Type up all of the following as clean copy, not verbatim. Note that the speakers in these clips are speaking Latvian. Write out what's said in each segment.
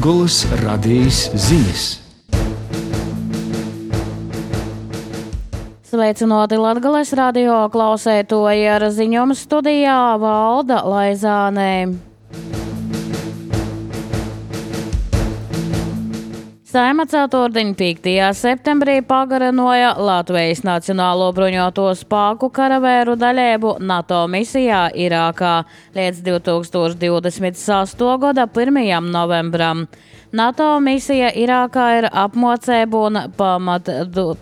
Latgolas radījis ziņas. Sveicināti Latgales radio klausētoji, ar ziņojumu studijā Valda Laizānē. Saeima ceturtdien 5. septembrī pagarinoja Latvijas Nacionālo bruņoto spēku karavēru daļēbu NATO misijā Irākā līdz 2026. gada 1. novembram. NATO misija Irākā ir apmācību un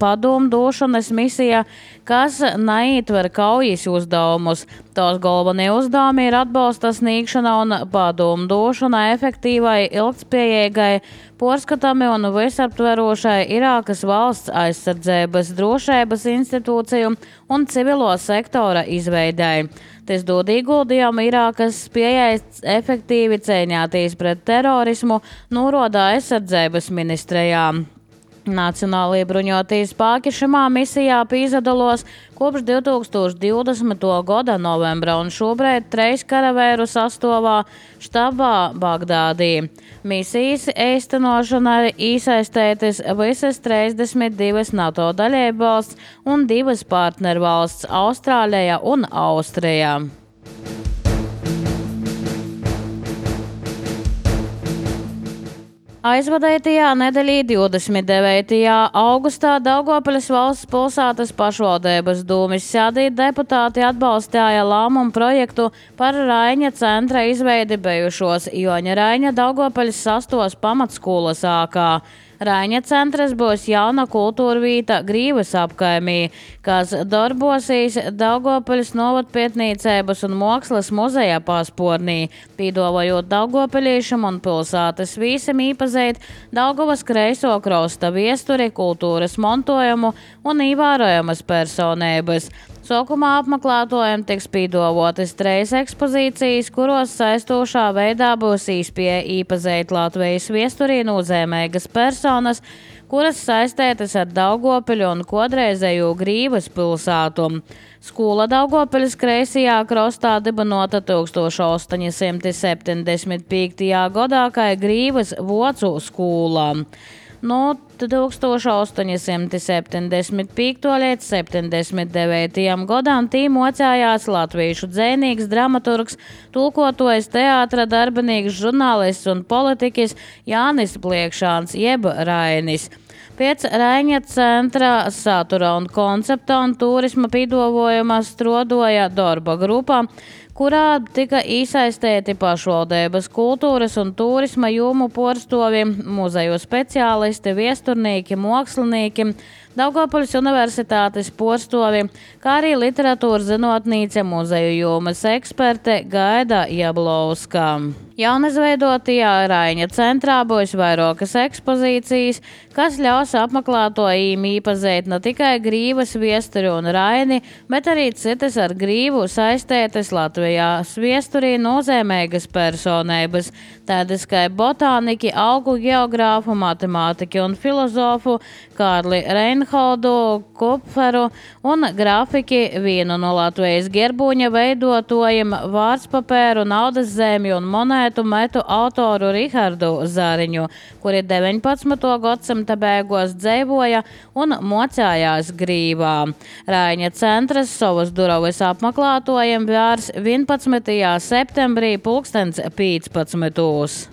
padomdošanas misija, kas neitver kaujas uzdevumus. Tās galvenie uzdevumi ir atbalsta sniegšana un padomdošana efektīvai, ilgtspējīgai, porskatami un visaptverošai Irākas valsts aizsardzības, drošības institūciju un civilo sektora izveidei. Tas dod ieguldījumu Irākas spējai efektīvi cīņāties pret terorismu, norāda aizsardzības ministrijā. Nacionālajie bruņotie spēki šajā misijā pīzadalos kopš 2020. gada novembra un šobrīd 3 karavēru sastāvā štabā Bagdādī. Misijas īstenošanai iesaistītas visas 32 NATO dalībvalsts un 2 partnervalsts - Austrālija un Austrija. Aizvadītajā nedēļā 29. augustā Daugavpils valsts pilsētas pašvaldības dūmis sēdī deputāti atbalstīja lēmumu projektu par Raiņa centra izveidi bijušos Joņa Raiņa Daugavpils 6. pamatskolas ākā. Raiņa centrs būs jauna kultūra vīta Grīvas apkaimī, kas darbosīs Daugavpils novatpietnīcības un mākslas muzeja paspornī, pīdovojot daugavpiliešam un pilsētas vīsam īpazīt Daugavas kreiso krasta viesturi, kultūras montojumu un īvērojamas personības. Sākumā apmeklētājiem tiks pīdovotas 3 ekspozīcijas, kuros saistošā veidā būs iespēja īpazīt Latvijas viesturī nozīmīgas personas, kuras saistētas ar Daugavpiļu un kodreizējo Grīvas pilsētu. Skola Daugavpiļas kreisajā krastā dibinota 1875. gadā kā Grīvas vocu skola. No 1875. līdz 79. gadam tī mocējās latviešu dzejnieks, dramaturgs, tulkotojs, teātra darbinīgs, žurnālists un politiķis Jānis Pliekšāns jeb Rainis. Pēc Raiņa centra satura un koncepta un turisma pīdovojuma strodoja darba grupa, kurā tika iesaistīti pašvaldības kultūras un turisma jomu porstovi, muzeju speciālisti, viesturnīki, mākslinieki, Daugavpils universitātes porstovi, kā arī literatūras zinātnīce, muzeju jomas eksperte Gaida Jablauska. Jaunizveidotajā Raiņa centrā būs vairākas ekspozīcijas, kas ļaus apmeklētājiem īpazīt ne tikai Grīvas viesturi un Raini, bet arī citas ar Grīvu saistētas Latvijās viesturī nozīmīgas personības, tādas kā botāniķi, augu geogrāfu, matemātiķi un filozofu Kārli Reinholdu Kupferu un grafiķi vienu no Latvijas gerbūņa veidotājiem vārdspapēru, naudas zemju un monētu metu autoru Rihardu Zariņu, kuri 19. gadsimta beigās dzīvoja un mocējās Grīvā. Raiņa centrs savas durvis apmeklētājiem vērs 11. septembrī 15.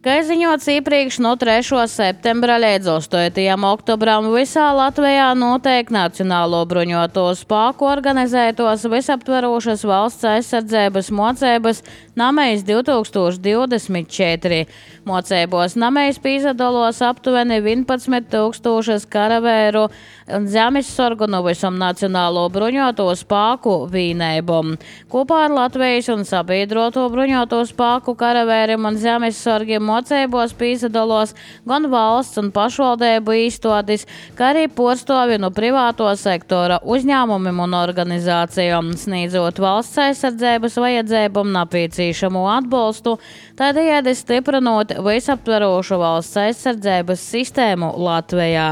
Kā ziņots iepriekš, no 3. septembra līdz 8. oktobram visā Latvijā notiek Nacionālo bruņoto spēku organizētos visaptverošas valsts aizsardzības mocības Namejs 2024. Mocībos Namejs pīzadalos aptuveni 11,000 karavēru un zemessorgu no visam Nacionālo bruņoto spēku vienībām. Kopā ar Latvijas un sabiedroto bruņoto spēku karavēriem un zemessorgiem mocībos pīzadalos gan valsts un pašvaldību īstotis, kā arī porstovi no privāto sektora uzņēmumiem un organizācijām, sniedzot valsts aizsardzības vajadzībām nepieciešamo atbalstu, tādējādi stiprinot visaptverošu valsts aizsardzības sistēmu Latvijā.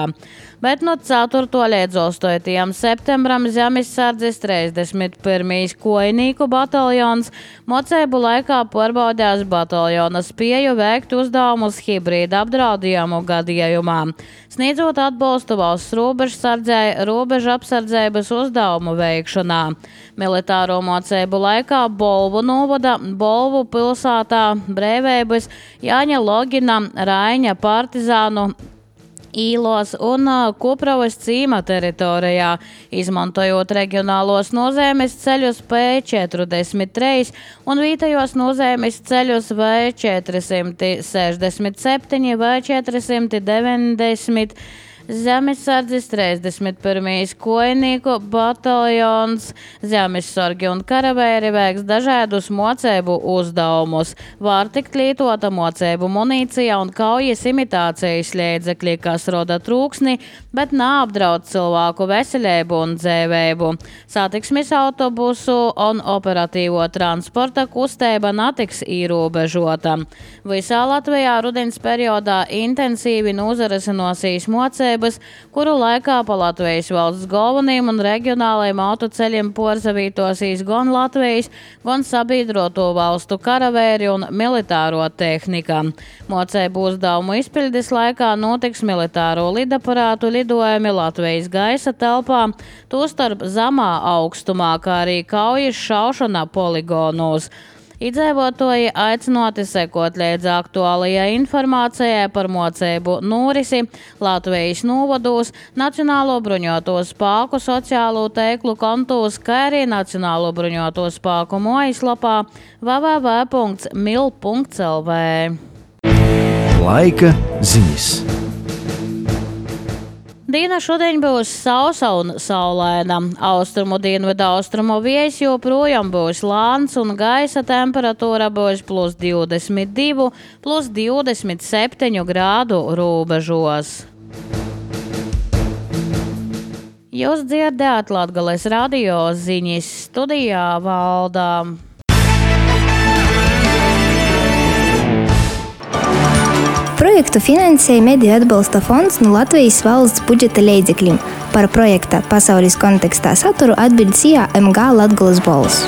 bet no 4. līdz 8. septembram zemesardzes 31. kojnīku bataljons mocēbu laikā pārbaudījās bataljona spēju veikt uzdevumus hibrīda apdraudējumu gadījumā, sniedzot atbalstu valsts robežsardzei robežu apsardzības uzdevumu veikšanā. Militāro mocēbu laikā Bolvu novada, Bolvu pilsētā, Brēvības, Jāņa Logina, Raiņa partizānu īlos un Kupravas cīma teritorijā, izmantojot reģionālos nozīmes ceļus P43 un vietējos nozīmes ceļus V467 vai 490. Zemesardzes 31. kojnīku bataljons, zemesargi un karavēri veiks dažādus mocēbu uzdevumus. Var tikt lietota mocēbu munīcija un kaujas imitācijas līdzekļi, kas roda trūksni, bet neapdraud cilvēku veselību un dzīvību. Satiksmes autobusu un operatīvo transporta kustība netiks ierobežota. Visā Latvijā rudens periodā intensīvi nozarisinosies mocēbu, kuru laikā pa Latvijas valsts galvenajiem un reģionālajiem autoceļiem porzavītosīs gan Latvijas, gan sabiedroto valstu karavēri un militāro tehnika. Mocēbu uzdevumu izpildes laikā notiks militāro lidaparātu lidojumi Latvijas gaisa telpā, tostarp zemā augstumā, kā arī kaujas šaušana poligonos. Iedzīvotāji aicināti sekot līdz aktuālajai informācijai par mocēbu norisi Latvijas novados, Nacionālo bruņoto spēku sociālo tīklu kontos, kā arī Nacionālo bruņoto spēku mājaslapā www.mil.lv. Laika ziņas. Diena šodien būs sausa un saulaina. Austrumu dienvidu austrumu vējš joprojām būs lāns un gaisa temperatūra būs +22, +27 grādu robežos. Jūs dzirdējāt Latgales radio ziņas, studijā Valda. Projektu finansēja Mediju atbalsta fonds no Latvijas valsts budžeta līdzekļiem. Par projekta pasaules kontekstā saturu atbild MG Latgales balss.